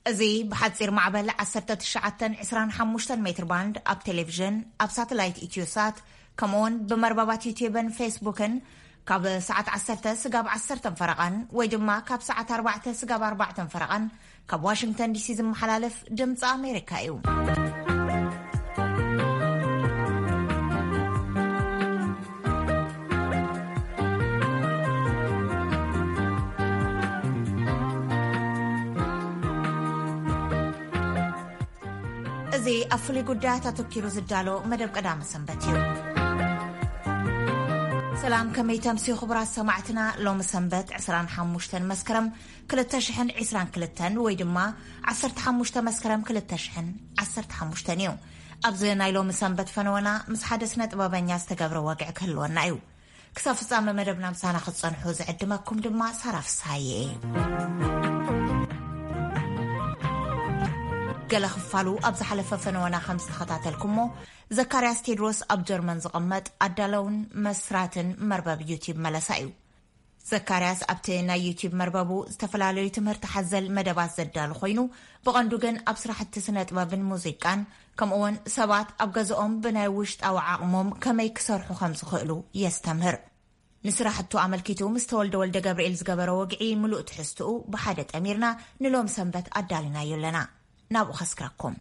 እዚ ብሓጺር ማዕበል ዓሰርተ ትሽዓተ ዕስራን ሓሙሽተን ሜትር ባንድ ኣብ ቴሌቪዥን፣ ኣብ ሳተላይት ኢትዮሳት፣ ከምኡውን ብመርበባት ዩትዩብን ፌስቡክን ካብ ሰዓት ዓሰርተ ስጋብ ዓሰርተ ፈረቓን ወይ ድማ ካብ ሰዓት ኣርባዕተ ስጋብ ኣርባዕተ ፈረቓን ካብ ዋሽንግተን ዲሲ ዝመሓላለፍ ድምፂ ኣሜሪካ እዩ። እዚ ኣብ ፍሉይ ጉዳያት ኣተኪሩ ዝዳሎ መደብ ቀዳመ ሰንበት እዩ። ሰላም፣ ከመይ ተምስዩ ክቡራት ሰማዕትና? ሎሚ ሰንበት ዕስራን ሓሙሽተን መስከረም ክልተ ሽሕን ዕስራን ክልተን ወይ ድማ ዓሰርተ ሓሙሽተ መስከረም ክልተ ሽሕን ዓሰርተ ሓሙሽተን እዩ። ኣብዚ ናይ ሎሚ ሰንበት ፈነወና ምስ ሓደ ስነ ጥበበኛ ዝተገብረ ወግዒ ክህልወና እዩ። ክሳብ ፍጻመ መደብና ምሳና ክትጸንሑ ዝዕድመኩም ድማ ሳራ ፍስሃየ እየ። ገለ ክፋሉ ኣብ ዝሓለፈ ፈነወና ከም ዝተኸታተልኩሞ፣ ዘካርያስ ቴድሮስ ኣብ ጀርመን ዝቕመጥ ኣዳለውን መስራትን መርበብ ዩቲብ መለሳ እዩ። ዘካርያስ ኣብቲ ናይ ዩቲብ መርበቡ ዝተፈላለዩ ትምህርቲ ሓዘል መደባት ዘዳሉ ኮይኑ፣ ብቐንዱ ግን ኣብ ስራሕቲ ስነ ጥበብን ሙዚቃን፣ ከምኡውን ሰባት ኣብ ገዝኦም ብናይ ውሽጣዊ ዓቕሞም ከመይ ክሰርሑ ከም ዝኽእሉ የስተምህር። ንስራሕቱ ኣመልኪቱ ምስ ተወልደ ወልደ ገብርኤል ዝገበረ ወግዒ ምሉእ ትሕዝትኡ ብሓደ ጠሚርና ንሎም ሰንበት ኣዳሊናዮ ኣለና። ናብኡ ከስክረኩም።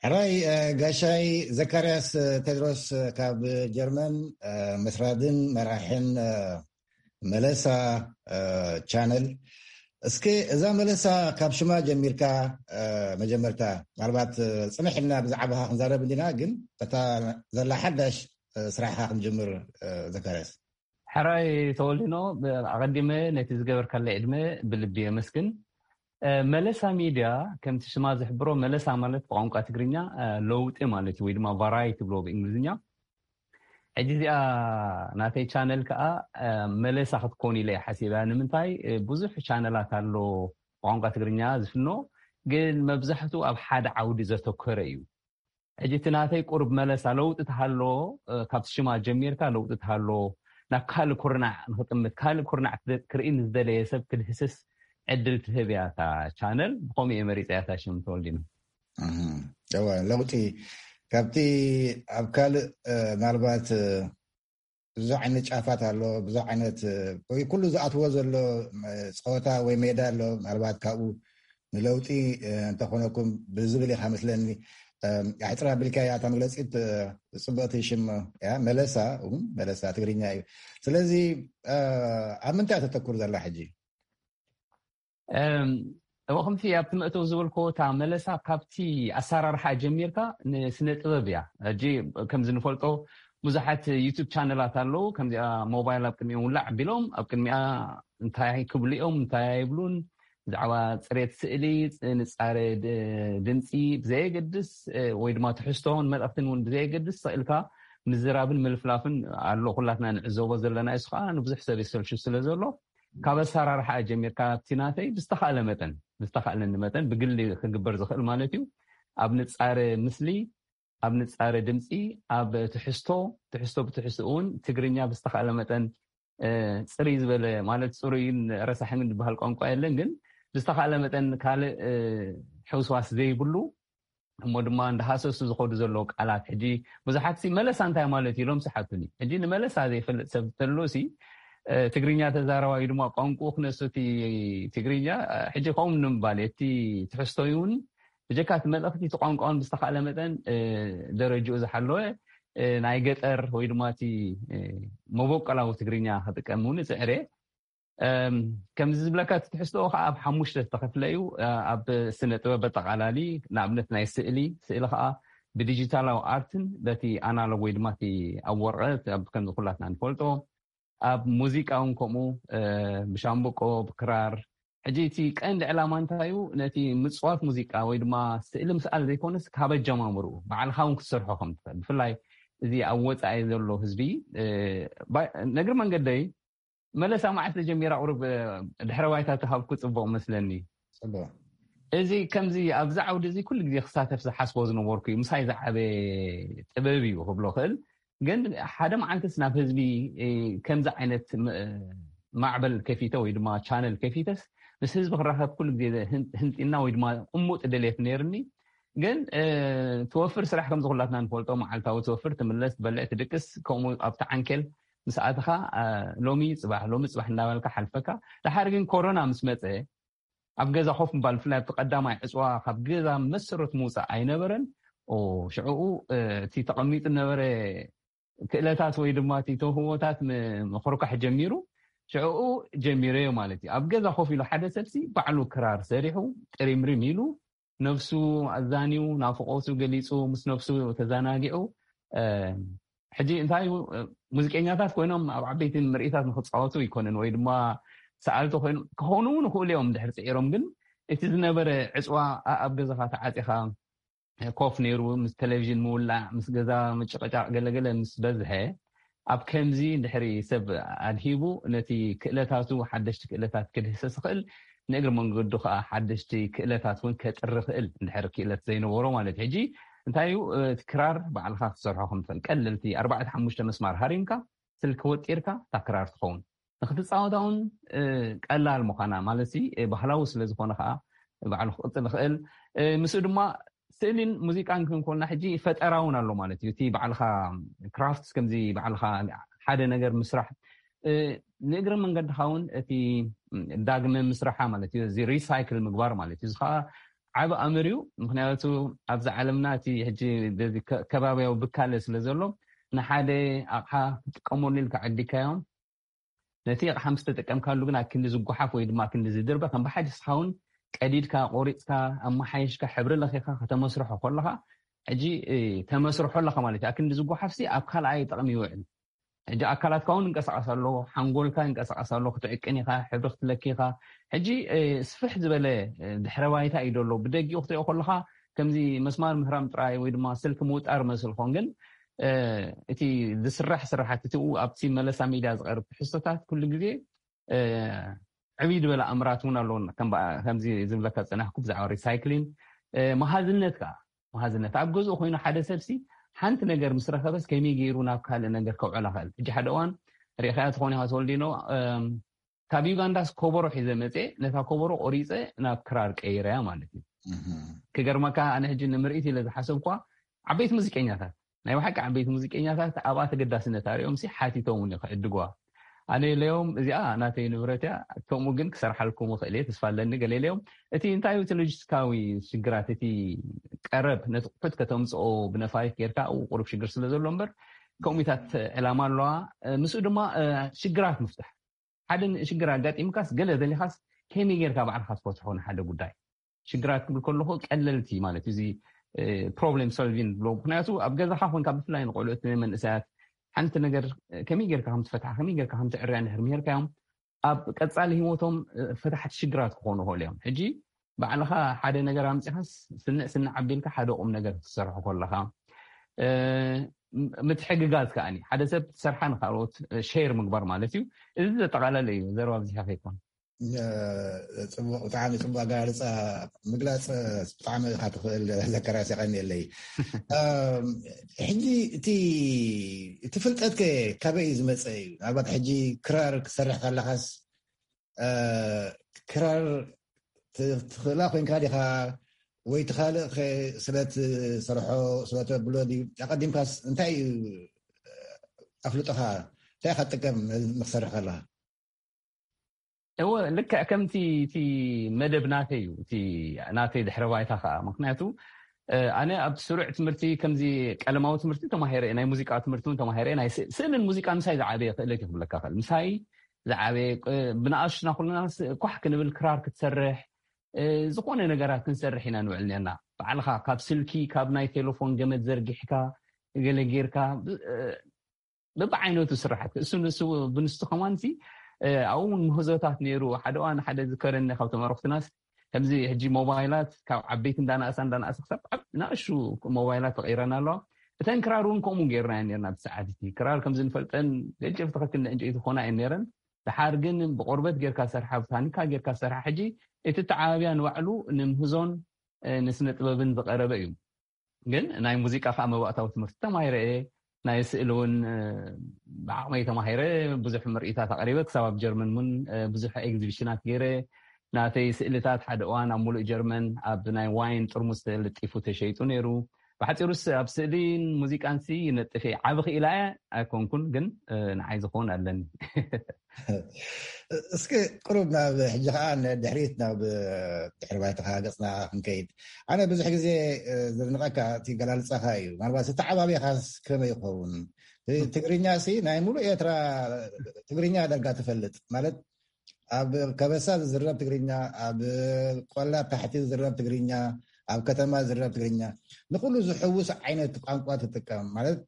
ሕራይ፣ እ፣ ጋሻይ ዘካርያስ፣ እ፣ ቴድሮስ፣ እ፣ ካብ ጀርመን፣ እ፣ መስራድን መራሕን፣ እ፣ መለሳ፣ እ፣ ቻነል። እስኪ እዛ መለሳ ካብ ሽማ ጀሚርካ፣ እ፣ መጀመርታ ምናልባት፣ እ፣ ጽንሕ ኢልና ብዛዕባኻ ክንዛረብ እንዲና፣ ግን እታ ዘላ ሓዳሽ፣ እ፣ ስራሕኻ ክንጅምር፣ እ፣ ዘካርያስ። ሕራይ ተወልዲኖ፣ ኣቐዲመ ነቲ ዝገበርካለይ ዕድመ ብልቢ የመስግን። እ፣ መለሳ ሚድያ ከምቲ ሽማ ዝሕብሮ፣ መለሳ ማለት ብቋንቋ ትግርኛ፣ እ፣ ለውጢ ማለት እዩ፣ ወይ ድማ ቫራይቲ ብሎ ብእንግሊዝኛ። ሕጂ እዚኣ ናተይ ቻነል ከኣ፣ እ፣ መለሳ ክትኮን ኢለ እየ ሓሲበያ። ንምንታይ? እ፣ ብዙሕ ቻነላት ኣሎ ብቋንቋ ትግርኛ ዝፍኖ፣ ግን መብዛሕቱ ኣብ ሓደ ዓውዲ ዘተኮረ እዩ። ሕጂ እቲ ናተይ ቁሩብ መለሳ ለውጢ ተሃሎ፣ እ፣ ካብቲ ሽማ ጀሚርካ ለውጢ ተሃሎ፣ ናብ ካልእ ኩርናዕ ንኽጥምት፣ ካልእ ኩርናዕ ክደ-፣ ክርኢ ንዝደለየ ሰብ ክድህስስ ዕድል ትህብ እያ እታ ቻነል። ብኸምኡ እየ መሪጸያ እታ ሽም ተወልዲኖ። እህ፣ እወ፣ ለውጢ ካብቲ ኣብ ካልእ፣ እ፣ ምናልባት፣ እ፣ ብዙሕ ዓይነት ጫፋት ኣሎ፣ ብዙሕ ዓይነት፣ እ፣ ወይ ኩሉ ዝኣትዎ ዘሎ፣ እ፣ ጸወታ ወይ ሜዳ ኣሎ። ምናልባት ካብኡ ንለውጢ፣ እ፣ እንተኾነኩም ብዝብል ኢኻ መስለኒ፣ እ፣ ኣሕጽራ ኣቢልካያ እታ መግለጺት፣ እ፣ ጽብቕቲ ሽም እያ። መለሳ እውን መለሳ ትግርኛ እዩ። ስለዚ፣ እ፣ ኣብ ምንታይ እያ ተተኩር ዘላ ሕጂ? እም፣ እሞ ከምቲ ኣብቲ መእተዊ ዝበልኮ እታ መለሳ ካብቲ ኣሰራርሓ ጀሚርካ ንስነ ጥበብ እያ። ሕጂ ከምዚ ንፈልጦ ብዙሓት ዩቱብ ቻነላት ኣለዉ። ከምዚኣ ሞባይል ኣብ ቅድሚኦም ውላዕ ኣቢሎም ኣብ ቅድሚኣ እንታይ ክብሉ እዮም እንታይ ኣይብሉን፣ ብዛዕባ ፅሬት ስእሊ፣ ንፃረ ድምፂ ብዘየገድስ ወይ ድማ ትሕዝቶን መልእክትን እውን ብዘየገድስ ስቕ ኢልካ ምዝራብን ምልፍላፍን ኣሎ። ኩላትና ንዕዘቦ ዘለና እሱ ከዓ ንብዙሕ ሰብ የሰልሹ ስለ ዘሎ ካብ ኣሰራርሓ ጀሚርካ ኣብቲ ናተይ ብዝተኻእለ መጠን ብዝተኻእለኒ መጠን ብግሊ ክግበር ዝኽእል ማለት እዩ ኣብ ንፃረ ምስሊ ኣብ ንፃረ ድምፂ ኣብ ትሕዝቶ ትሕዝቶ ብትሕዝቶ እውን ትግርኛ ብዝተኻእለ መጠን ፅርይ ዝበለ ማለት ፅሩይን ረሳሕን ዝበሃል ቋንቋ የለን ግን ብዝተኻእለ መጠን ካልእ ሕውስዋስ ዘይብሉ እሞ ድማ እንዳሃሰሱ ዝኸዱ ዘለዉ ቃላት ሕጂ ብዙሓት ሲ መለሳ እንታይ ማለት እዩ ኢሎም ስሓቱኒ ሕጂ ንመለሳ ዘይፈልጥ ሰብ ተሎ ሲ ትግርኛ ተዛረባዩ ድማ ቋንቁ ክነሱ እቲ ትግርኛ ሕጂ ከምኡ ንምባል እቲ ትሕዝቶዩ እውን ብጀካ እቲ መልእኽቲ እቲ ቋንቋውን ብዝተኻእለ መጠን ደረጅኡ ዝሓለወ ናይ ገጠር ወይ ድማ እቲ መበቆላዊ ትግርኛ ክጥቀም እውን እፅዕር እየ ከምዚ ዝብለካ እቲ ትሕዝትኦ ከዓ ኣብ ሓሙሽተ ዝተኸፍለ እዩ ኣብ ስነ ጥበብ ኣጠቃላሊ ንኣብነት ናይ ስእሊ ስእሊ ከዓ ብዲጂታላዊ ኣርትን በቲ ኣናሎግ ወይ ድማ እቲ ኣብ ወረቀት ከምዚ ኩላትና ንፈልጦ ኣብ ሙዚቃ እውን ከምኡ ብሻምብቆ ብክራር ሕጂ እቲ ቀንዲ ዕላማ እንታይ እዩ ነቲ ምፅዋት ሙዚቃ ወይ ድማ ስእሊ ምስኣል ዘይኮነስ ካብ ኣጀማምርኡ ባዕልካ እውን ክትሰርሖ ከም ትኽእል ብፍላይ እዚ ኣብ ወፃኢ ዘሎ ህዝቢ ነግሪ መንገደይ መለሳ መዓልቲ ጀሚራ ቁሩብ ድሕረ ባይታ ተሃብኩ ፅቡቅ መስለኒ እዚ ከምዚ ኣብዚ ዓውዲ እዚ ኩሉ ግዜ ክሳተፍ ዝሓስቦ ዝነበርኩ እዩ ምሳይ ዝዓበ ጥበብ እዩ ክብሎ ክእል ግን ሓደ መዓልትስ ናብ ህዝቢ ከምዚ ዓይነት ማዕበል ከፊተ ወይ ድማ ቻነል ከፊተስ ምስ ህዝቢ ክራኸብ ኩሉ ግዜ ህንጢና ወይ ድማ ቁሙጥ ድሌት ነይርኒ ግን ትወፍር ስራሕ ከምዚ ኩላትና ንፈልጦ መዓልታዊ ትወፍር ትምለስ ትበልዕ ትድቅስ ከምኡ ኣብቲ ዓንኬል ምስ ኣተኻ ሎሚ ፅባሕ ሎሚ ፅባሕ እናበልካ ሓልፈካ ድሓር ግን ኮሮና ምስ መፀ ኣብ ገዛ ኮፍ ምባል ብፍላይ ኣብቲ ቀዳማይ ዕፅዋ ካብ ገዛ መሰረቱ ምውፃእ ኣይነበረን ሽዕኡ እቲ ተቐሚጡ ነበረ ክእለታት ወይ ድማ እቲ ተውህቦታት ምክርካሕ ጀሚሩ ሽዕኡ ጀሚረዮ ማለት እዩ ኣብ ገዛ ኮፍ ኢሉ ሓደ ሰብሲ ባዕሉ ክራር ሰሪሑ ጥሪምሪም ኢሉ ነብሱ ኣዛንዩ ናፍቆቱ ገሊፁ ምስ ነብሱ ተዘናጊዑ ሕጂ እንታይ ሙዚቀኛታት ኮይኖም ኣብ ዓበይቲ ምርኢታት ንክፃወቱ ይኮንን ወይ ድማ ሰኣልቲ ኮይኑ ክኾኑ እውን ይኽእሉ እዮም ድሕር ፅዒሮም ግን እቲ ዝነበረ ዕፅዋ ኣብ ገዛኻ ተዓፂኻ ኮፍ ነይሩ ምስ ቴሌቪዥን ምውላዕ ምስ ገዛ ምጭቕጫቕ ገለገለ ምስ በዝሐ ኣብ ከምዚ ድሕሪ ሰብ ኣድሂቡ ነቲ ክእለታቱ ሓደሽቲ ክእለታት ክድህሰስ ይኽእል ንእግሪ መንገዱ ከዓ ሓደሽቲ ክእለታት እውን ከጥሪ ክእል እንድሕር ክእለት ዘይነበሮ ማለት ሕጂ እንታይ እዩ እቲ ክራር ባዕልካ ክትሰርሖ ከምትኽእል ቀለልቲ ኣርባዕተ ሓሙሽተ መስማር ሃሪምካ ስልኪ ወጢርካ እታ ክራር ትኸውን ንክትፃወታ እውን ቀላል ምዃና ማለት ባህላዊ ስለዝኾነ ከዓ ባዕሉ ክቅፅል ይኽእል ምስኡ ድማ ስእሊን ሙዚቃን ክንኮልና ሕጂ ፈጠራ እውን ኣሎ ማለት እዩ እቲ ባዕልካ ክራፍት ከምዚ ባዕልካ ሓደ ነገር ምስራሕ ንእግረ መንገድኻ እውን እቲ ዳግመ ምስራሓ ማለት እዩ እዚ ሪሳይክል ምግባር ማለት እዩ እዚ ከዓ ዓብ ኣምር እዩ ምክንያቱ ኣብዚ ዓለምና እቲ ሕጂ ከባቢያዊ ብካለ ስለ ዘሎ ንሓደ ኣቕሓ ክትጥቀመሉ ኢልካ ዓዲካዮም ነቲ ኣቕሓ ምስ ተጠቀምካሉ ግን ኣብ ክንዲ ዝጓሓፍ ወይ ድማ ኣብ ክንዲ ዝድርበ ከም ብሓደ ስኻ እውን ቀዲድካ ቆሪፅካ ኣመሓየሽካ ሕብሪ ለኺኻ ከተመስርሖ ከለኻ ሕጂ ተመስርሖ ኣለኻ ማለት እዩ ኣብ ክንዲ ዝጓሓፍሲ ኣብ ካልኣይ ጥቕሚ ይውዕል ሕጂ ኣካላትካ እውን እንቀሳቀስ ኣሎ ሓንጎልካ እንቀሳቀስ ኣሎ ክትዕቅን ኢኻ ሕብሪ ክትለኪ ኢኻ ሕጂ ስፍሕ ዝበለ ድሕረ ባይታ እዩ ዘሎ ብደጊኡ ክትሪኦ ከለካ ከምዚ መስማር ምህራም ጥራይ ወይ ድማ ስልኪ ምውጣር መስል ኾን ግን እቲ ዝስራሕ ስራሓት እቲ ኣብቲ መለሳ ሚድያ ዝቀርብ ትሕዝቶታት ኩሉ ግዜ ዕብይ ዝበለ ኣምራት እውን ኣለዎ ከምዚ ዝብለካ ዝፀናሕኩ ብዛዕባ ሪሳይክሊን መሃዝነት ከዓ መሃዝነት ኣብ ገዝኡ ኮይኑ ሓደ ሰብሲ ሓንቲ ነገር ምስ ረኸበስ ከመይ ገይሩ ናብ ካልእ ነገር ከውዕላ ክእል ሕጂ ሓደ እዋን ርኢኻያ ትኾን ኢኻ ተወልዲኖ ካብ ዩጋንዳስ ኮበሮ ሒዘ መፅየ ነታ ኮበሮ ቆሪፀ ናብ ክራር ቀይረያ ማለት እዩ ክገርመካ ኣነ ሕጂ ንምርኢት ኢለ ዝሓሰብኳ ዓበይቲ ሙዚቀኛታት ናይ ብሓቂ ዓበይቲ ሙዚቀኛታት ኣብኣ ተገዳስነት ኣሪኦም ሲ ሓቲቶም እውን ክዕድግዋ ኣነ ኢለዮም እዚኣ ናተይ ንብረት እያ ከምኡ ግን ክሰርሓልኩም ክእል እየ ተስፋ ኣለኒ ገለ ኢለዮም እቲ እንታይ እቲ ሎጂስቲካዊ ሽግራት እቲ ቀረብ ነቲ ቁሑት ከተምፅኦ ብነፋሪት ጌርካ ቁሩብ ሽግር ስለ ዘሎ እምበር ከምኡታት ዕላማ ኣለዋ ምስኡ ድማ ሽግራት ምፍታሕ ሓደ ሽግር ኣጋጢምካስ ገለ ደሊኻስ ከመይ ጌርካ ባዕልካ ትፈትሖ ንሓደ ጉዳይ? ሽግራት ክብል ከለኹ ቀለልቲ ማለት እዩ፣ እዚ problem solving ብሎ። ምክንያቱ ኣብ ገዛኻ ኮንካ ብፍላይ ንቆልዑት ንመንእሰያት ሓንቲ ነገር ከመይ ጌርካ ከም ትፈትሓ ከመይ ጌርካ ከም ትዕርያ እንድሕር ምሄርካዮም ኣብ ቀጻሊ ህይወቶም ፈታሕቲ ሽግራት ክኾኑ ይኽእሉ እዮም። ሕጂ ባዕልኻ ሓደ ነገር ኣምጺኻስ ስንዕ ስንዕ ኣቢልካ ሓደ ቁም ነገር ክትሰርሖ ከለኻ ምትሕግጋዝ ከኣኒ ሓደ ሰብ ትሰርሓ ንካልኦት ሼር ምግባር ማለት እዩ። እዚ ዘጠቓለለ እዩ። ዘረባ ኣብዚሓ ከይኮን ጽቡቅ፣ ብጣዕሚ ጽቡቅ ኣገላልጻ ምግላጽ ብጣዕሚ ኢካ ትኽእል። ዘከራስ የቀንየለይ። ሕጂ እቲ እቲ ፍልጠት ከ ካበይ እዩ ዝመጸ እዩ? ምናልባት ሕጂ ክራር ክትሰርሕ ከለካስ ክራር ትኽእላ ኮይንካ ዲኻ ወይ ትኻልእ ስለትሰርሖ ስለተብሎ ድዩ? ኣቀዲምካስ እንታይ እዩ ኣፍልጦኻ? እንታይ ኢካ ትጥቀም ንክሰርሕ ከለካ? እወ፣ ልክዕ ከምቲ እቲ መደብ ናተይ እዩ፣ እቲ ናተይ ድሕረ ባይታ ከዓ። ምክንያቱ ኣነ ኣብ ስሩዕ ትምህርቲ ከምዚ ቀለማዊ ትምህርቲ ተማሂረ፣ ናይ ሙዚቃ ትምህርቲ እውን ተማሂረ፣ ናይ ስእልን ሙዚቃ ምሳይ ዝዓበየ ክእለት ይክብለካ ክእል ምሳይ ዝዓበየ። ብንኣሽና ኩልና ኳሕ ክንብል ክራር ክትሰርሕ ዝኾነ ነገራት ክንሰርሕ ኢና ንውዕል ነርና። ባዕልካ ካብ ስልኪ ካብ ናይ ቴሌፎን ገመድ ዘርጊሕካ ገለ ጌርካ በብዓይነቱ ስራሓት እሱ ንሱ ብንሱ ከማንሲ ኣብኡ እውን ምህዞታት ነይሩ። ሓደ እዋን ሓደ ዝከረኒ ካብ ተመረኽትናስ ከምዚ ሕጂ ሞባይላት ካብ ዓበይቲ እንዳናእሳ እንዳናእሳ ክሳብ ናእሹ ሞባይላት ተቐይረና ኣለዋ። እተን ክራር እውን ከምኡ ገይርና ነርና። ብሰዓት እቲ ክራር ከምዚ ንፈልጠን ገንጨፍቲ ከክል ዕንጨይቲ ክኾና እየን ነይረን። ድሓር ግን ብቆርበት ጌርካ ሰርሓ ብታኒካ ጌርካ ሰርሓ ሕጂ እቲ ተዓባብያ ንባዕሉ ንምህዞን ንስነ ጥበብን ዝቐረበ እዩ። ግን ናይ ሙዚቃ ከዓ መባእታዊ ትምህርቲ ተማሂረ እየ። ናይ ስእሊ እውን ብዓቕመይ ተማሂረ ብዙሕ ምርኢታት ኣቕሪበ ክሳብ ኣብ ጀርመን እውን ብዙሕ ኤግዚቢሽናት ገይረ። ናተይ ስእልታት ሓደ እዋን ኣብ ሙሉእ ጀርመን ኣብ ናይ ዋይን ጥርሙስ ተልጢፉ ተሸይጡ ነይሩ። ብሓፂሩስ ኣብ ስእሊን ሙዚቃንሲ ይነጥፍ እየ። ዓቢ ክኢላ እየ ኣይኮንኩን ግን ንዓይ ዝኸውን ኣለኒ። እስኪ ቅሩብ ናብ ሕጂ ከዓ ድሕሪት ናብ ድሕሪ ባይታኻ ገፅና ክንከይድ። ኣነ ብዙሕ ግዜ ዘድንቐካ እቲ ገላልፃኻ እዩ። ምናልባት ዝተዓባቢኻስ ከመይ ይኸውን? ትግርኛ ሲ ናይ ሙሉእ ኤርትራ ትግርኛ ደርጋ ትፈልጥ ማለት ኣብ ከበሳ ዝዝረብ ትግርኛ፣ ኣብ ቆላ ታሕቲ ዝዝረብ ትግርኛ፣ ኣብ ከተማ ዝዝረብ ትግርኛ፣ ንኩሉ ዝሕውስ ዓይነት ቋንቋ ትጥቀም ማለት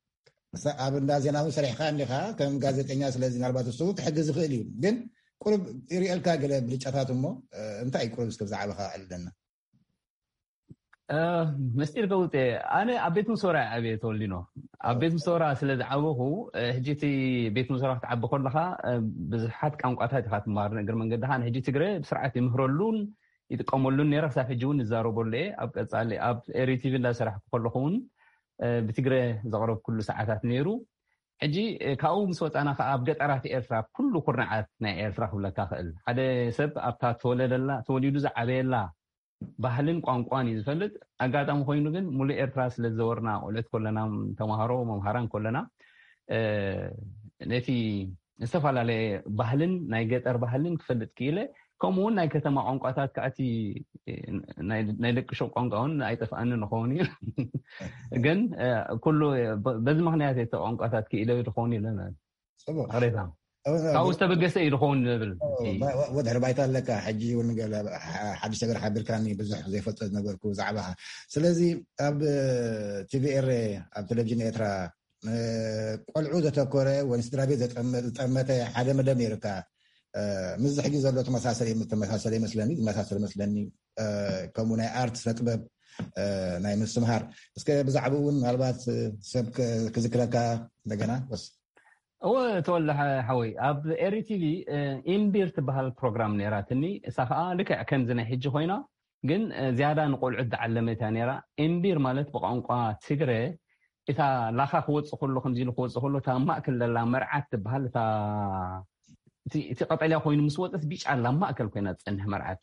ኣብ እንዳ ዜና እውን ሰሪሕካ እንዲኻ ከም ጋዜጠኛ። ስለዚ ምናልባት እሱ እውን ክሕግዝ ዝኽእል እዩ። ግን ቁሩብ ይርእየልካ ገለ ብልጫታት እሞ እንታይ እዩ ቁሩብ እስከ ብዛዕባኻ ኣለና? መስጢር ከውጤ ኣነ ኣብ ቤት ምሶራ ኣብየ ተወሊኖ ኣብ ቤት ምሶራ ስለ ዝዓበኹ ሕጂ እቲ ቤት ምሶራ ክትዓቢ ከለካ ብዙሓት ቋንቋታት ኢካ ትማር። ንእግር መንገድካ ንሕጂ ትግረ ብስርዓት ይምህረሉን ይጥቀመሉን ነረ ክሳብ ሕጂ እውን ይዛረበሉ እየ። ኣብ ቀፃሊ ኣብ ኤሪ ቲቪ እንዳሰራሕኩ ከለኹ እውን ብትግረ ዘቕረብኩሉ ሰዓታት ነይሩ። ሕጂ ካብኡ ምስ ወፃና ከዓ ኣብ ገጠራት ኤርትራ ኩሉ ኩርናዓት ናይ ኤርትራ ክብለካ ክእል ሓደ ሰብ ኣብታ ተወለደላ ተወሊዱ ዝዓበየላ ባህልን ቋንቋን እዩ ዝፈልጥ። ኣጋጣሚ ኮይኑ ግን ሙሉእ ኤርትራ ስለ ዝዘወርና ቆልዑት ከለና ተምሃሮ መምሃራን ከለና ነቲ ዝተፈላለየ ባህልን ናይ ገጠር ባህልን ክፈልጥ ክኢለ። ከምኡ እውን ናይ ከተማ ቋንቋታት ከዓቲ ናይ ደቂ ሸው ቋንቋ እውን ኣይጠፍኣኒ ንኸውን እዩ። ግን ኩሉ በዚ ምክንያት እቲ ቋንቋታት ክኢለ ዝኸውን ኢለ። ቅሬታ ካብኡ ዝተበገሰ እዩ ዝኸውን ዝብል። ወድሕሪ ባይታ ኣለካ። ሕጂ እውን ሓድሽ ነገር ሓቢርካኒ ብዙሕ ዘይፈልጦ ዝነበርኩ ብዛዕባኻ። ስለዚ ኣብ ቲቪ ኤረ ኣብ ቴሌቪዥን ኤርትራ ቆልዑ ዘተኮረ ወይ ስድራ ቤት ዝጠመተ ሓደ መደብ ነይርካ። ምስዚ ሕጂ ዘሎ ተመሳሰለ ተመሳሰለ ይመስለኒ ዝመሳሰለ ይመስለኒ። ከምኡ ናይ ኣርት ስነ ጥበብ ናይ ምስትምሃር እስከ ብዛዕባ እውን ምናልባት ሰብ ክዝክረካ እንደገና ወስ እወ ተወልደ ሓወይ ኣብ ኤሪ ቲቪ ኢምቢር ትበሃል ፕሮግራም ነይራትኒ። እሳ ከዓ ልክዕ ከምዚ ናይ ሕጂ ኮይና ግን ዝያዳ ንቆልዑት ዝዓለመት እያ ነይራ። ኢምቢር ማለት ብቋንቋ ትግረ እታ ላኻ ክወፅእ ከሎ ከምዚ ኢሉ ክወፅእ ከሎ እታ ማእከል ዘላ መርዓት ትበሃል እታ እቲ ቀጠልያ ኮይኑ ምስ ወፀት ቢጫ ኣላ ማእከል ኮይና ትፀንሕ መርዓት።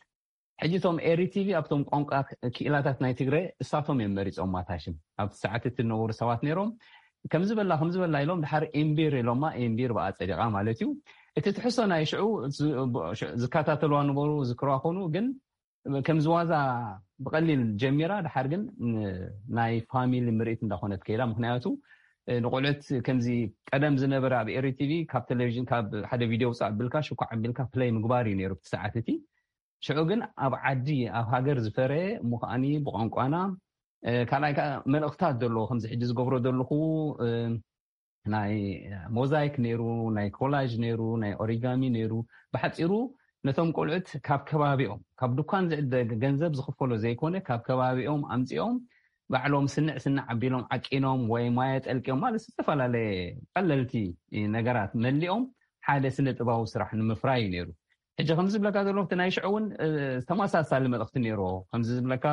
ሕጂ እቶም ኤሪ ቲቪ ኣብቶም ቋንቋ ክኢላታት ናይ ትግረ እሳቶም እዮም መሪፆም ማታሽም ኣብቲ ሰዓት እቲ ዝነበሩ ሰባት ነይሮም። ከምዚ በላ ከምዚ በላ ኢሎም ድሓር ኤምቢር ኢሎማ። ኤምቢር ብኣ ፀዲቓ ማለት እዩ። እቲ ትሕሶ ናይ ሽዑ ዝከታተልዋ ነበሩ ዝክርዋ ኮኑ ግን ከምዚ ዋዛ ብቐሊል ጀሚራ ድሓር ግን ናይ ፋሚሊ ምርኢት እንዳኾነት ከይዳ። ምክንያቱ ንቆልዑት ከምዚ ቀደም ዝነበረ ኣብ ኤሪ ቲቪ ካብ ቴሌቪዥን ካብ ሓደ ቪድዮ ውፃእ ኣቢልካ ሽኳዕ ኣቢልካ ፕለይ ምግባር እዩ ነይሩ ብቲ ሰዓት እቲ። ሽዑ ግን ኣብ ዓዲ፣ ኣብ ሃገር ዝፈረየ እሞ ከዓኒ ብቋንቋና፣ እ፣ ካልኣይ ከዓ መልእኽታት ዘለዎ ከምዚ ሕጂ ዝገብሮ ዘለኹ፣ እ፣ ናይ ሞዛይክ ነይሩ፣ ናይ ኮላጅ ነይሩ፣ ናይ ኦሪጋሚ ነይሩ። ብሓጺሩ ነቶም ቆልዑት ካብ ከባቢኦም፣ ካብ ድኳን ዝዕደግ ገንዘብ ዝኽፈሎ ዘይኮነ፣ ካብ ከባቢኦም ኣምጺኦም ባዕሎም ስንዕ ስንዕ ኣቢሎም ዓቂኖም ወይ ማየ ጠልቅዮም ማለት ዝተፈላለየ ቀለልቲ ነገራት መሊኦም ሓደ ስነ ጥባዊ ስራሕ ንምፍራይ እዩ ነይሩ። ሕጂ ከምዚ ዝብለካ ዘለኹ እቲ ናይ ሽዑ እውን፣ እ፣ ተመሳሳሊ መልእኽቲ ነይርዎ። ከምዚ ዝብለካ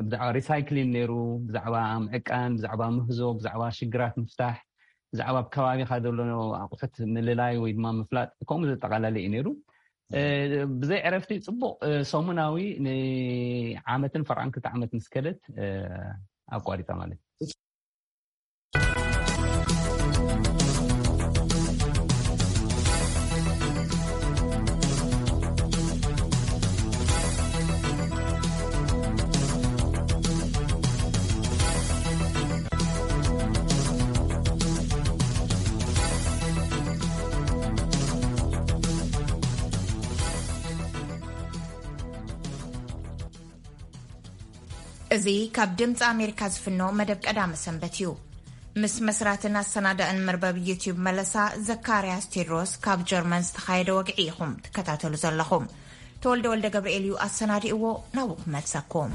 ብዛዕባ ሪሳይክሊን ነይሩ፣ ብዛዕባ ምዕቃን፣ ብዛዕባ ምህዞ፣ ብዛዕባ ሽግራት ምፍታሕ፣ ብዛዕባ ኣብ ከባቢኻ ዘሎ ኣቑሑት ምልላይ ወይ ድማ ምፍላጥ፣ ከምኡ ዘጠቓለለ እዩ ነይሩ። እ፣ ብዘይ ዕረፍቲ ጽቡቕ፣ እ፣ ሰሙናዊ ንዓመትን ፈርቓን ክልተ ዓመት ምስ ከደት፣ እ፣ ኣቋሪጻ ማለት እዩ። እዚ ካብ ድምፂ ኣሜሪካ ዝፍኖ መደብ ቀዳመ ሰንበት እዩ። ምስ መስራትን ኣሰናዳእን መርበብ ዩቲዩብ መለሳ ዘካርያስ ቴድሮስ ካብ ጀርመን ዝተኻየደ ወግዒ ኢኹም ትከታተሉ ዘለኹም። ተወልደ ወልደ ገብርኤል እዩ ኣሰናዲእዎ፣ ናብኡ ክመልሰኩም።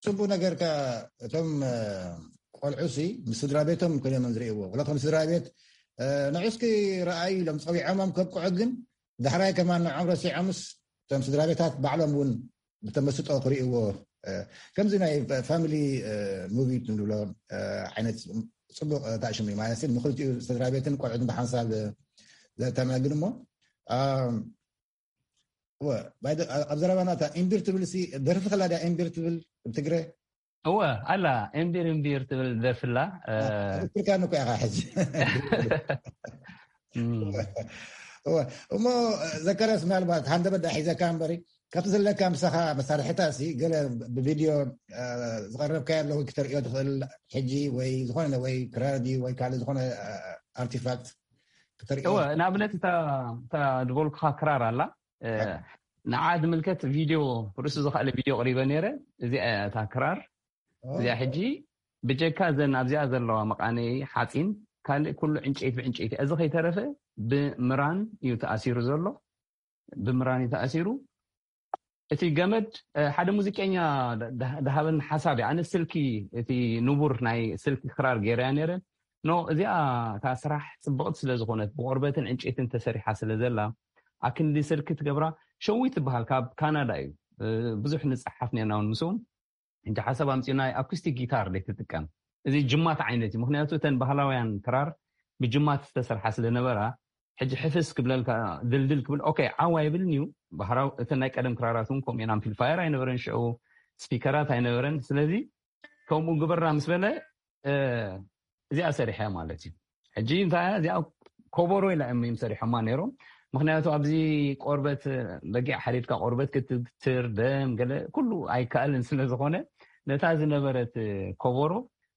ጽቡቅ ነገር ከ እቶም ቆልዑ ሲ ምስ ስድራ ቤቶም ኮይኖም ዝርእይዎ፣ ወላ ከም ስድራ ቤት ንዑ እስኪ ረኣዩ ኢሎም ጸዊዖሞም ከብቅዑ፣ ግን ዳሕራይ ከማን ንዖም ረሲዖምስ እቶም ስድራ ቤታት ባዕሎም እውን ብተመስጦ ክርእይዎ፣ ከምዚ ናይ ፋሚሊ ሙቪ ንብሎ ዓይነት ጽቡቅ ታሽሙ ማለት ንክልቲኡ ስድራ ቤትን ቆልዑትን ብሓንሳብ ዘተናግድ እሞ ኣብ ዘረባና እታ እምቢር ትብል ሲ ደርፊ ከላ ድያ እምቢር ትብል ብትግረ? እወ ኣላ እምቢር እምቢር ትብል ደርፊ ኣላ። ትክክልካ ንኮ ኢኻ ሕጂ። እሞ ዘካርያስ ምናልባት ሃንደበት ዳ ሒዘካ እምበሪ ካብቲ ዘለካ ምሳኻ መሳርሕታ ሲ ገለ ብቪድዮ ዝቐረብካዮ ኣለዉ ክተርእዮ ትኽእል ሕጂ ወይ ዝኾነ ወይ ክራር ድዩ ወይ ካልእ ዝኾነ ኣርቲፋክት ክተርእዮ? እወ ንኣብነት እታ ዝበልኩኻ ክራር ኣላ ንዓ ዝምልከት ቪድዮ ርእሱ ዝኸኣለ ቪድዮ ቅሪበ ነይረ። እዚኣ እያ እታ ክራር እዚኣ ሕጂ ብጀካ እዘን ኣብዚኣ ዘለዋ መቃነይ ሓፂን ካልእ ኩሉ ዕንጨይቲ ብዕንጨይቲ እዚ ከይተረፈ ብምራን እዩ ተኣሲሩ ዘሎ። ብምራን እዩ ተኣሲሩ። እቲ ገመድ ሓደ ሙዚቀኛ ድሃበኒ ሓሳብ እዩ። ኣነ ስልኪ እቲ ንቡር ናይ ስልኪ ክራር ገይረያ ነይረ። ኖ እዚኣ እታ ስራሕ ፅብቕቲ ስለ ዝኾነት ብቆርበትን ዕንጨይትን ተሰሪሓ ስለ ዘላ ኣክንዲ ስልኪ ትገብራ። ሸዊት ትበሃል ካብ ካናዳ እዩ። ብዙሕ ንፀሓፍ ነርና እውን ምስኡ። ሕጂ ሓሳብ ኣምፂኡ ናይ ኣኩስቲክ ጊታር ደይ ትጥቀም። እዚ ጅማት ዓይነት እዩ። ምክንያቱ እተን ባህላውያን ክራር ብጅማት ዝተሰርሓ ስለ ነበራ ሕጂ ሕፍስ ክብለልካ ድልድል ክብል ኦኬ ዓዋ ይብልን እዩ። ባህራው እተን ናይ ቀደም ክራራት እውን ከምኡ እየን። ኣምፕሊፋየር ኣይነበረን ሽዑ፣ ስፒከራት ኣይነበረን። ስለዚ ከምኡ ግበራ ምስ በለ እዚኣ ሰሪሐ ማለት እዩ። ሕጂ እንታይ እዚኣ ኮቦሮ ኢላ እዮም ሰሪሖማ ነይሮም። ምክንያቱ ኣብዚ ቆርበት በጊዕ ሓሪድካ ቆርበት ክትትር ደም ገለ ኩሉ ኣይከኣልን ስለ ዝኾነ ነታ ዝነበረት ኮቦሮ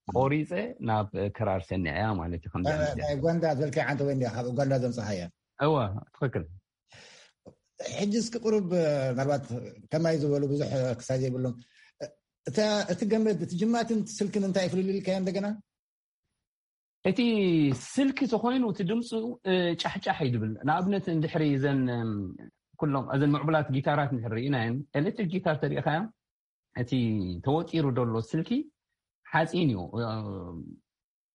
ቆሪፀ ናብ ክራር ሰኒዐያ ማለት እዩ። ከምዚ ዓይነት ናይ ኡጋንዳ ዝበልካያ ዓንተ ወይ እንዲያ ካብ ኡጋንዳ ዘምፀኻያ? እወ ትኽክል። ሕጂ እስኪ ቁሩብ ምናልባት ከማይ ዝበሉ ብዙሕ ክሳይ ዘይብሎም እታ እቲ ገመድ እቲ ጅማትን እቲ ስልክን እንታይ ፍልልይ ኢልካዮ እንደገና? እቲ ስልኪ ተኾይኑ እቲ ድምፁ ጫሕጫሕ እዩ ድብል። ንኣብነት እንድሕሪ እዘን ኩሎም እዘን ምዕቡላት ጊታራት እንድሕሪ ርኢናየን ኤሌክትሪክ ጊታር ተሪኢኻዮ እቲ ተወጢሩ ዘሎ ስልኪ ሓፂን እዩ።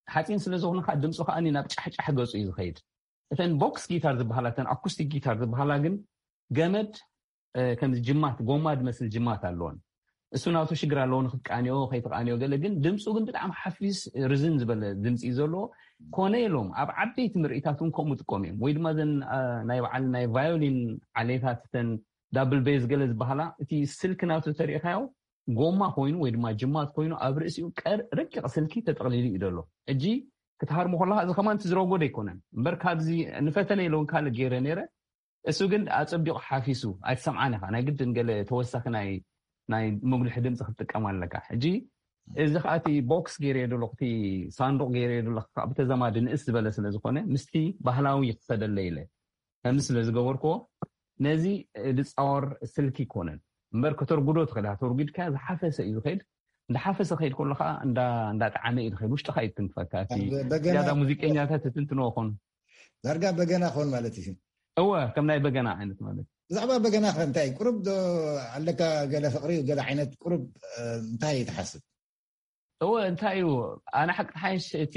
ሓፂን ስለ ዝኾነ ከዓ ድምፁ ከዓ ናብ ጫሕጫሕ ገፁ እዩ ዝኸይድ። እተን ቦክስ ጊታር ዝበሃላ እተን ኣኩስቲክ ጊታር ዝበሃላ ግን ገመድ ከምዚ ጅማት ጎማ ዝመስል ጅማት ኣለዎን እሱ ናቱ ሽግር ኣለዎ ንክትቃንዮ ከይትቃንዮ ገለ ግን ድምፁ ግን ብጣዕሚ ሓፊስ ርዝን ዝበለ ድምፂ እዩ ዘለዎ። ኮነ ኢሎም ኣብ ዓበይቲ ምርኢታት እውን ከምኡ ጥቀሙ እዮም። ወይ ድማ ዘን ናይ በዓል ናይ ቫዮሊን ዓሌታት፣ ተን ዳብል ቤዝ ገለ ዝበሃላ፣ እቲ ስልኪ ናቱ ተሪእካዮ ጎማ ኮይኑ ወይ ድማ ጅማት ኮይኑ ኣብ ርእሲኡ ረቂቕ ስልኪ ተጠቕሊሉ እዩ ዘሎ። ሕጂ ክትሃርሞ ከለካ እዚ ከማን ትዝረጎ ኣይኮነን እምበር፣ ካብዚ ንፈተነ ኢለውን ካልእ ገይረ ነይረ። እሱ ግን ኣጸቢቑ ሓፊሱ ኣይትሰምዓን ኢኻ። ናይ ግድን ገለ ተወሳኺ ናይ ናይ መጉልሒ ድምፂ ክትጥቀም ኣለካ። ሕጂ እዚ ከዓ እቲ ቦክስ ገይረዮ ዘለኹ፣ እቲ ሳንዱቕ ገይረዮ ዘለኹ ከዓ ብተዘማዲ ንእስ ዝበለ ስለ ዝኾነ ምስቲ ባህላዊ ክኸደለ ኢለ ከምዚ ስለ ዝገበርክዎ ነዚ ድፃወር ስልኪ ይኮነን እምበር ከተርጉዶ ትኽእል ኢኻ። ተርጉድካ ዝሓፈሰ እዩ ዝኸይድ። እንዳሓፈሰ ከይድ ከሎ ከዓ እንዳጣዕመ እዩ ዝኸይድ። ውሽጥካ እዩ ትንክፈካ። እቲ ዝያዳ ሙዚቀኛታት ትትንትንዎ ኾኑ ዳርጋ በገና ኾን ማለት እዩ። እወ ከም ናይ በገና ዓይነት ማለት። ብዛዕባ በገና ከ እንታይ ቁሩብ ዶ ኣለካ? ገለ ፍቕሪ ገለ ዓይነት ቁሩብ እንታይ ትሓስብ? እወ እንታይ እዩ፣ ኣነ ሓቂ ሓይሽ እቲ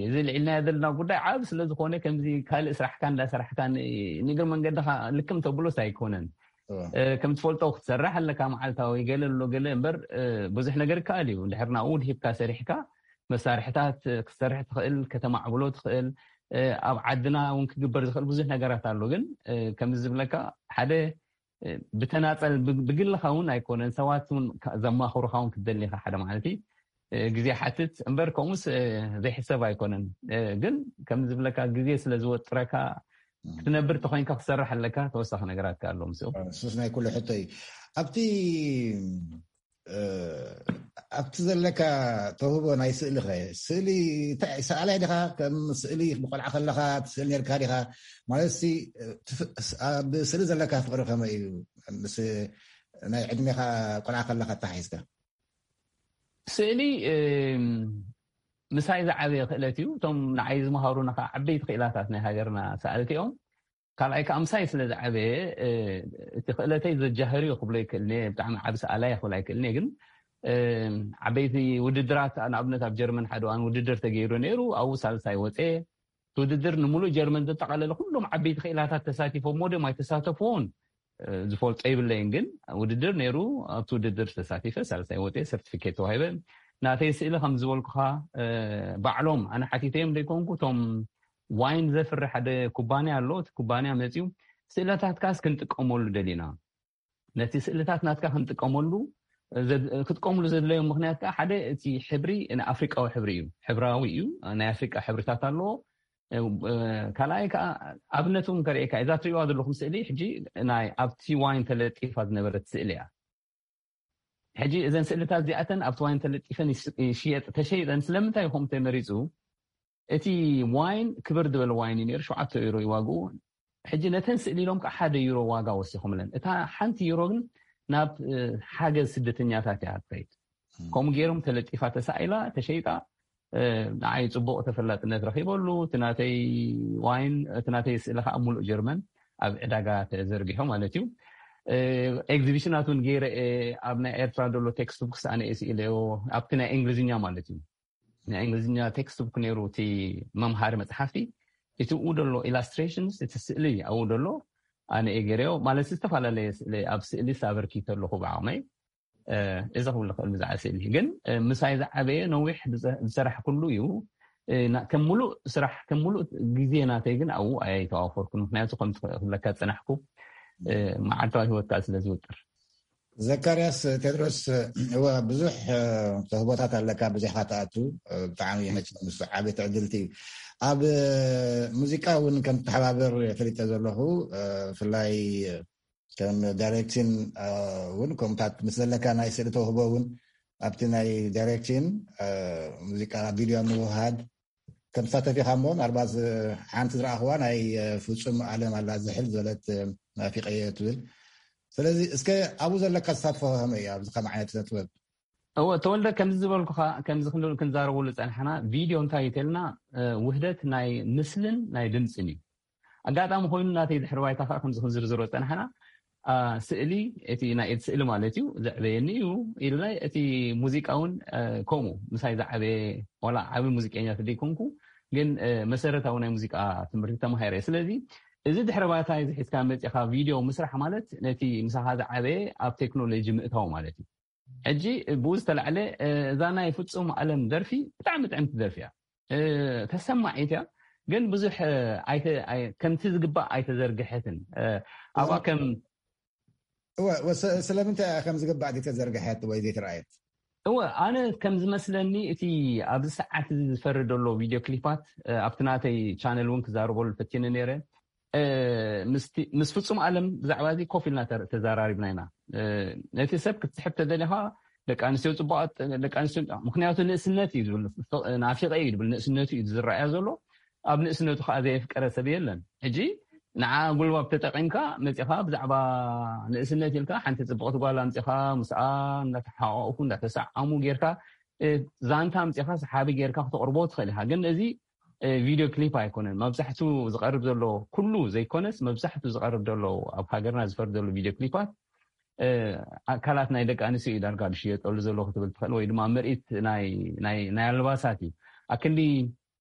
እዚ ልዕልናዮ ዘለና ጉዳይ ዓብ ስለዝኾነ ከምዚ ካልእ ስራሕካ እንዳሰራሕካ ንእግሪ መንገድኻ ልክም ተብሎስ ኣይኮነን። ከም ትፈልጦ ክትሰርሕ ኣለካ መዓልታዊ ገለ ኣሎ ገለ እምበር ብዙሕ ነገር ይከኣል እዩ። እንድሕር ናብኡ ድሂብካ ሰሪሕካ መሳርሕታት ክትሰርሕ ትኽእል፣ ከተማዕብሎ ትኽእል። ኣብ ዓድና እውን ክግበር ዝኽእል ብዙሕ ነገራት ኣሎ። ግን ከምዚ ዝብለካ ሓደ ብተናፀል ብግልኻ እውን ኣይኮነን፣ ሰባት እውን ዘማኽሩኻ እውን ክትደሊኻ ሓደ ማለት ግዜ ሓትት እምበር ከምኡስ ዘይሕሰብ ኣይኮነን። ግን ከም ዝብለካ ግዜ ስለ ዝወጥረካ ክትነብር ተኮይንካ ክሰርሕ ኣለካ። ተወሳኺ ነገራት ኣሎ ምስ ሱስ ናይ ኩሉ ሕቶ እዩ። ኣብቲ ኣብቲ ዘለካ ተውህቦ ናይ ስእሊ ኸ ስእሊ ሰኣላይ ዲኻ? ከም ስእሊ ብቆልዓ ከለኻ ትስእል ነርካ ዲኻ? ማለት ኣብ ስእሊ ዘለካ ፍቅሪ ከመይ እዩ? ምስ ናይ ዕድሜኻ ቆልዓ ከለኻ ተሓሒዝካ ስእሊ ምሳይ ዝዓበየ ክእለት እዩ። እቶም ንዓይ ዝመሃሩና ከዓ ዓበይቲ ክእላታት ናይ ሃገርና ሰኣልቲ እዮም። ካልኣይ ከዓ ምሳይ ስለ ዝዓበየ እቲ ክእለተይ ዘጃህር እዩ ክብሎ ይክእልኒ። ብጣዕሚ ዓብ ሰኣላይ ክብል ኣይክእልኒ። ግን ዓበይቲ ውድድራት ንኣብነት ኣብ ጀርመን ሓደ እዋን ውድድር ተገይሩ ነይሩ። ኣብኡ ሳልሳይ ወፀ። እቲ ውድድር ንምሉእ ጀርመን ዘጠቃለለ ኩሎም ዓበይቲ ክእላታት ተሳቲፎም ሞደም ኣይተሳተፍዎን ዝፈልጦ ይብለይን። ግን ውድድር ነይሩ። ኣብቲ ውድድር ተሳቲፈ ሳልሳይ ወፀ፣ ሰርቲፊኬት ተዋሂበ። ናተይ ስእሊ ከም ዝበልኩኻ ባዕሎም ኣነ ሓቲተዮም ዘይኮንኩ እቶም ዋይን ዘፍሪ ሓደ ኩባንያ ኣሎ። እቲ ኩባንያ መፅዩ ስእለታትካስ ክንጥቀመሉ ደሊና፣ ነቲ ስእልታት ናትካ ክንጥቀመሉ ክጥቀምሉ ዘድለዮም ምክንያት ከዓ ሓደ እቲ ሕብሪ ኣፍሪቃዊ ሕብሪ እዩ፣ ሕብራዊ እዩ፣ ናይ ኣፍሪቃ ሕብርታት ኣለዎ። ካልኣይ ከዓ ኣብነት እውን ከርእየካ እዛ ትሪእዋ ዘለኹም ስእሊ ሕጂ ናይ ኣብቲ ዋይን ተለጢፋ ዝነበረት ስእሊ እያ። ሕጂ እዘን ስእልታት እዚኣተን ኣብቲ ዋይን ተለጢፈን ይሽየጥ ተሸይጠን ስለምንታይ ይኹም ተመሪፁ? እቲ ዋይን ክብር ዝበለ ዋይን እዩ ነይሩ። ሸውዓተ ዩሮ ይዋግኡ። ሕጂ ነተን ስእሊ ኢሎም ከዓ ሓደ ዩሮ ዋጋ ወሲኹምለን። እታ ሓንቲ ዩሮ ግን ናብ ሓገዝ ስደተኛታት እያ ትኸይድ። ከምኡ ገይሮም ተለጢፋ ተሳኢላ ተሸይጣ። ንዓይ ፅቡቅ ተፈላጥነት ረኪበሉ። እቲ ናተይ ዋይን እቲ ናተይ ስእሊ ከዓ ሙሉእ ጀርመን ኣብ ዕዳጋ ተዘርጊሑ ማለት እዩ። ኤግዚቢሽናት እውን ገይረ ኣብ ናይ ኤርትራ ዘሎ ቴክስት ቡክስ ኣነ ስኢለዮ ኣብቲ ናይ እንግሊዝኛ ማለት እዩ። ናይ እንግሊዝኛ ቴክስት ቡክ ነይሩ እቲ መምሃሪ መፅሓፍቲ። እቲ ኡ ደሎ ኢላስትሬሽንስ እቲ ስእሊ ኣብኡ ደሎ ኣነ ገይረዮ ማለት ዝተፈላለየ ስእሊ ኣብ ስእሊ ሳበርኪ ተለኹ ብዓቕመይ። እዚ ክብል ክእል ብዛዕባ ስእሊ ግን ምሳይ ዝዓበየ ነዊሕ ዝሰራሕኩሉ እዩ። ከም ሙሉእ ስራሕ ከም ሙሉእ ግዜ ናተይ ግን ኣብኡ ኣይተዋፈርኩን። ምክንያቱ ከም ዝብለካ ዝፀናሕኩ መዓልታዊ ሂወትካ ስለ ዝውጥር። ዘካርያስ ቴድሮስ፣ እወ ብዙሕ ተህቦታት ኣለካ፣ ብዙሕካ ትኣቱ። ብጣዕሚ መቸም ምስ ዓበይቲ ዕድልቲ እዩ። ኣብ ሙዚቃ እውን ከም ትተሓባበር ፈሊጠ ዘለኹ፣ ብፍላይ ከም ዳይሬክሽን እውን ከምታት ምስ ዘለካ ናይ ስእሊ ተውህቦ እውን ኣብቲ ናይ ዳይሬክሽን ሙዚቃ ቪድዮ ምውሃድ ከም ትሳተፍ ኢኻ እሞ፣ ምናልባት ሓንቲ ዝረኣኽዋ ናይ ፍጹም ኣለም ኣላ ዝሕል ዝበለት ናፊቀየ ትብል። ስለዚ እስከ ኣብኡ ዘለካ ተሳትፎ ከመይ እዩ ኣብዚ ከም ዓይነት ስነ ጥበብ? እወ ተወልደ፣ ከምዚ ዝበልኩኻ ከምዚ ክንብል ክንዛረበሉ ዝፀናሕና ቪድዮ እንታይ እዩ ተልና ውህደት ናይ ምስልን ናይ ድምፅን እዩ። ኣጋጣሚ ኮይኑ ናተይ ድሕሪ ባይታ ከዓ ከምዚ ክንዝርዝሮ ዝፀናሕና ስእሊ እቲ ናይ ኢድ ስእሊ ማለት እዩ ዘዕበየኒ እዩ ኢልና እቲ ሙዚቃ እውን ከምኡ ምሳይ ዝዓበየ ዋላ ዓብዪ ሙዚቀኛ ተደይኮንኩ ግን መሰረታዊ ናይ ሙዚቃ ትምህርቲ ተማሂረ። ስለዚ እዚ ድሕረ ባይታ እዚ ሒዝካ መፂኻ ቪድዮ ምስራሕ ማለት ነቲ ምሳኻ ዝዓበየ ኣብ ቴክኖሎጂ ምእታው ማለት እዩ። ሕጂ ብኡ ዝተላዕለ እዛ ናይ ፍፁም ኣለም ደርፊ ብጣዕሚ ጥዕምቲ ደርፊ እያ። ተሰማዒት እያ፣ ግን ብዙሕ ከምቲ ዝግባእ ኣይተዘርግሐትን። ኣብኣ ከም ስለምንታይ ከም ዝግባእ ዘይተዘርግሐት ወይ ዘይተረኣየት? እወ፣ ኣነ ከም ዝመስለኒ እቲ ኣብዚ ሰዓት እዚ ዝፈሪ ዘሎ ቪድዮ ክሊፓት ኣብቲ ናተይ ቻነል እውን ክዛረበሉ ፈቲነ ነይረ። ምስ ፍጹም ኣለም ብዛዕባ እዚ ኮፍ ኢልና ተዘራሪብና ኢና። ነቲ ሰብ ክትስሕብ ተደሊኻ ደቂ ኣንስትዮ ፅቡቃት፣ ደቂ ኣንስትዮ፣ ምክንያቱ ንእስነት እዩ ዝብል፣ ናፊቀ እዩ ዝብል፣ ንእስነቱ እዩ ዝረኣያ ዘሎ። ኣብ ንእስነቱ ከዓ ዘየፍቀረ ሰብ የለን። ሕጂ ንዓ ጉልባብ ተጠቂምካ መፂኻ ብዛዕባ ንእስነት ኢልካ ሓንቲ ፅብቅቲ ጓል ኣምፂኻ ምስኣ እንዳተሓቋቁፉ እንዳተሰዓሙ ጌርካ ዛንታ ኣምፂኻ ሰሓቢ ጌርካ ክተቅርቦ ትኽእል ኢኻ። ግን እዚ ቪድዮ ክሊፕ ኣይኮነን። መብዛሕቱ ዝቐርብ ዘሎ፣ ኩሉ ዘይኮነስ መብዛሕቱ ዝቐርብ ዘሎ፣ ኣብ ሃገርና ዝፈር ዘሎ ቪድዮ ክሊፓት ኣካላት ናይ ደቂ ኣንስትዮ እዩ ዳርጋ ዝሽየጠሉ ዘሎ ክትብል ትኽእል፣ ወይ ድማ ምርኢት ናይ ኣልባሳት እዩ። ኣክንዲ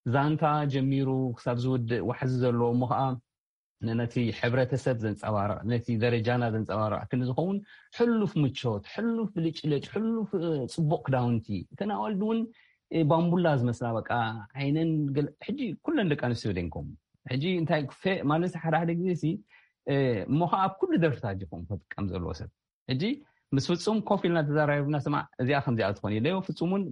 ዛንታ ጀሚሩ ክሳብ ዝውድእ ዋሕዚ ዘለዎ እሞ ከዓ ነቲ ሕብረተሰብ ዘንፀባርቕ፣ ነቲ ደረጃና ዘንፀባርቕ ክንዲ ዝኸውን፣ ሕሉፍ ምቾት፣ ሕሉፍ ብልጭልጭ፣ ሕሉፍ ፅቡቅ ክዳውንቲ፣ እተን ኣዋልድ እውን ባምቡላ ዝመስላ፣ በቃ ዓይነን ሕጂ ኩለን ደቂ ኣንስትዮ ደንኮም። ሕጂ እንታይ ማለት ሓደ ሓደ ግዜ ሲ እሞ ከዓ ኣብ ኩሉ ደርፍታት ዲኹም ክጥቀም ዘለዎ ሰብ። ሕጂ ምስ ፍፁም ኮፍ ኢልና ተዘራሪብና፣ ስማዕ እዚኣ ከምዚኣ ትኾን ኢለዮ። ፍፁም እውን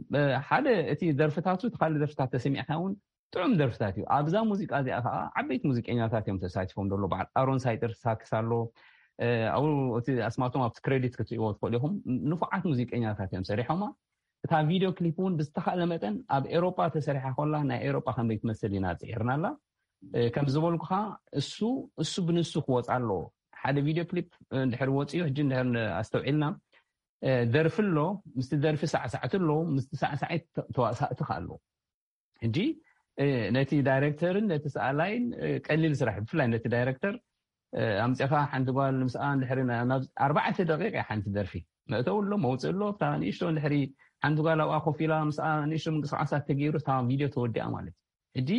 ሓደ እቲ ደርፍታቱ እቲ ካልእ ደርፍታት ተሰሚዕካ እውን ጥዑም ደርፍታት እዩ። ኣብዛ ሙዚቃ እዚኣ ከዓ ዓበይቲ ሙዚቀኛታት እዮም ተሳቲፎም ዘሎ። በዓል ኣሮን ሳይጥር ሳክስ ኣሎ። ኣብኡ እቲ ኣስማቶም ኣብቲ ክሬዲት ክትሪእዎ ትኽእሉ ኢኹም። ንፉዓት ሙዚቀኛታት እዮም ሰሪሖማ። እታ ቪድዮ ክሊፕ እውን ብዝተኻእለ መጠን ኣብ ኤሮጳ ተሰሪሓ ኮላ ናይ ኤሮጳ ከመይ ትመስል ኢና ፅዒርና ኣላ። ከም ዝበልኩኻ እሱ እሱ ብንሱ ክወፃ ኣለዎ። ሓደ ቪድዮ ክሊፕ እንድሕር ወፂኡ ሕጂ እንድሕር ኣስተውዒልና ደርፊ ኣሎ፣ ምስቲ ደርፊ ሳዕሳዕቲ ኣለዉ፣ ምስቲ ሳዕሳዒት ተዋሳእቲ ከ ኣለዉ። ሕጂ ነቲ ዳይረክተርን ነቲ ሰኣላይን ቀሊል ስራሕ፣ ብፍላይ ነቲ ዳይረክተር ኣምፅኻ ሓንቲ ጓል ምስኣ እንድሕሪ ኣርባዕተ ደቂቅ እያ ሓንቲ ደርፊ፣ መእተው ኣሎ መውፅእ ኣሎ። እታ ንእሽቶ እንድሕሪ ሓንቲ ጓል ኣብኣ ኮፍ ኢላ ምስኣ ንእሽቶ ምንቅስቃሳት ተገይሩ እታ ቪድዮ ተወዲኣ ማለት እዩ። ሕጂ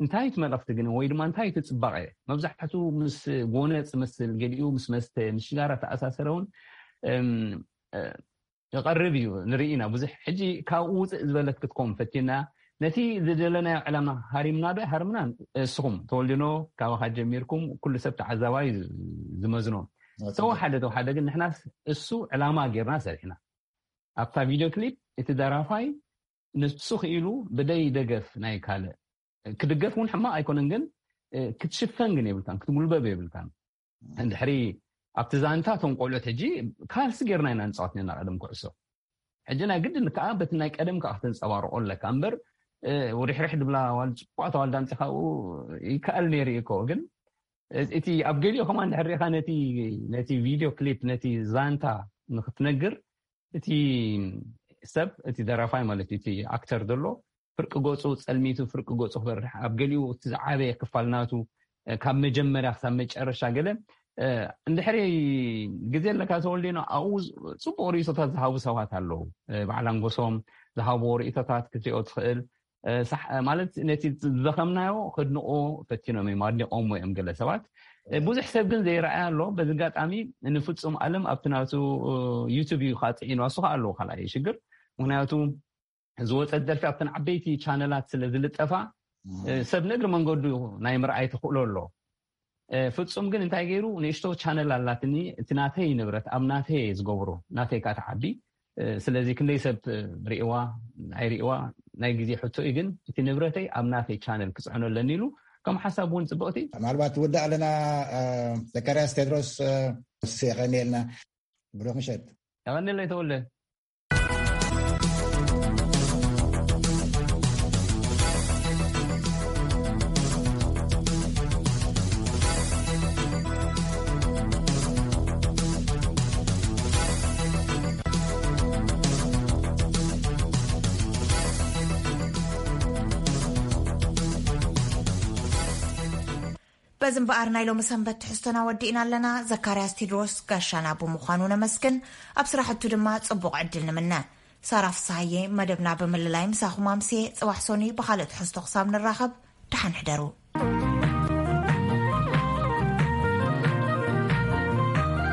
እንታይ እቲ መልእክቲ ግን ወይ ድማ እንታይ እቲ ፅባቐ? መብዛሕትኡ ምስ ጎነፅ መስል፣ ገሊኡ ምስ መስተ ምስ ሽጋራ ተኣሳሰረ እውን ይቐርብ እዩ፣ ንርኢ ኢና ብዙሕ። ሕጂ ካብኡ ውፅእ ዝበለት ክትከውን ፈቲና፣ ነቲ ዝደለናዮ ዕላማ ሃሪምና ዶ ሃርምና? እስኹም ተወልድኖ ካባኻ ጀሚርኩም ኩሉ ሰብ ተዓዛባይ ዝመዝኖ። ተወሓደ ተወሓደ ግን ንሕናስ እሱ ዕላማ ጌርና ሰሪሕና። ኣብታ ቪድዮ ክሊፕ እቲ ደራፋይ ንሱ ክኢሉ ብደይ ደገፍ ናይ ካልእ ክድገፍ እውን ሕማቕ ኣይኮነን፣ ግን ክትሽፈን ግን የብልካን፣ ክትጉልበብ የብልካን። እንድሕሪ ኣብቲ ዛንታ እቶም ቆልዑት ሕጂ ካልሲ ጌርና ኢና ንፃወት ነና ቀደም ኩዕሶ። ሕጂ ናይ ግድን ከዓ በቲ ናይ ቀደም ከዓ ክተንፀባርቆ ኣለካ እምበር ሪሕርሕ ድብላ ዋል ፅቡቅ ተዋልዳ ኣምፂኻ ይከኣል ነይሩ እዩ እኮ። ግን እቲ ኣብ ገሊኡ ከማ እንድሕር ሪኢካ ነቲ ቪድዮ ክሊፕ ነቲ ዛንታ ንክትነግር እቲ ሰብ እቲ ደራፋይ ማለት እቲ ኣክተር ዘሎ ፍርቂ ገፁ ፀልሚቱ ፍርቂ ገፁ ክበርሕ ኣብ ገሊኡ እቲ ዝዓበየ ክፋል ናቱ ካብ መጀመርያ ክሳብ መጨረሻ ገለ እንድሕሪ ግዜ ኣለካ ተወልዴኖ ኣብኡ ፅቡቅ ርእቶታት ዝሃቡ ሰባት ኣለዉ። በዓል ኣንጎሶም ዝሃብዎ ርእቶታት ክትሪኦ ትኽእል። ማለት ነቲ ዝዘኸምናዮ ክድንቆ ፈቲኖም እዮም ኣድኒቆምዎ እዮም ገለ ሰባት። ብዙሕ ሰብ ግን ዘይረኣያ ኣሎ። በዚ ኣጋጣሚ ንፍፁም ኣለም ኣብቲ ናቱ ዩቱብ እዩ ከዓ ፅዒኑ ኣሱ ከዓ ኣለዎ ካልኣይ ሽግር። ምክንያቱ ዝወፀት ደርፊ ኣብተን ዓበይቲ ቻነላት ስለ ዝልጠፋ ሰብ ንእግሪ መንገዱ ናይ ምርኣይ ተኽእሎ ኣሎ። ፍፁም ግን እንታይ ገይሩ ንእሽቶ ቻነል ኣላትኒ፣ እቲ ናተይ ንብረት ኣብ ናተይ እየ ዝገብሮ፣ ናተይ ከዓ ተዓቢ። ስለዚ ክንደይ ሰብ ርእዋ ኣይርእዋ ናይ ግዜ ሕቶ እዩ። ግን እቲ ንብረተይ ኣብ ናተይ ቻነል ክፅዕኖ ኣለኒ ኢሉ ከም ሓሳብ እውን ፅብቕቲ። ምናልባት ትውዳእ ኣለና። ዘካርያስ ቴድሮስ የቀኒየልና። ብሩክ ምሸት። የቀኒለይ ተወለ። በዚ እምበኣር ናይ ሎሚ ሰንበት ትሕዝቶና ወዲእና ኣለና። ዘካርያስ ቴድሮስ ጋሻና ብምዃኑ ነመስግን። ኣብ ስራሕቱ ድማ ጽቡቕ ዕድል ንምነ። ሳራ ፍስሃየ መደብና ብምልላይ ምሳኹም ኣምስየ። ጽባሕ ሶኒ ብኻልእ ትሕዝቶ ክሳብ ንራኸብ ደሓን ሕደሩ።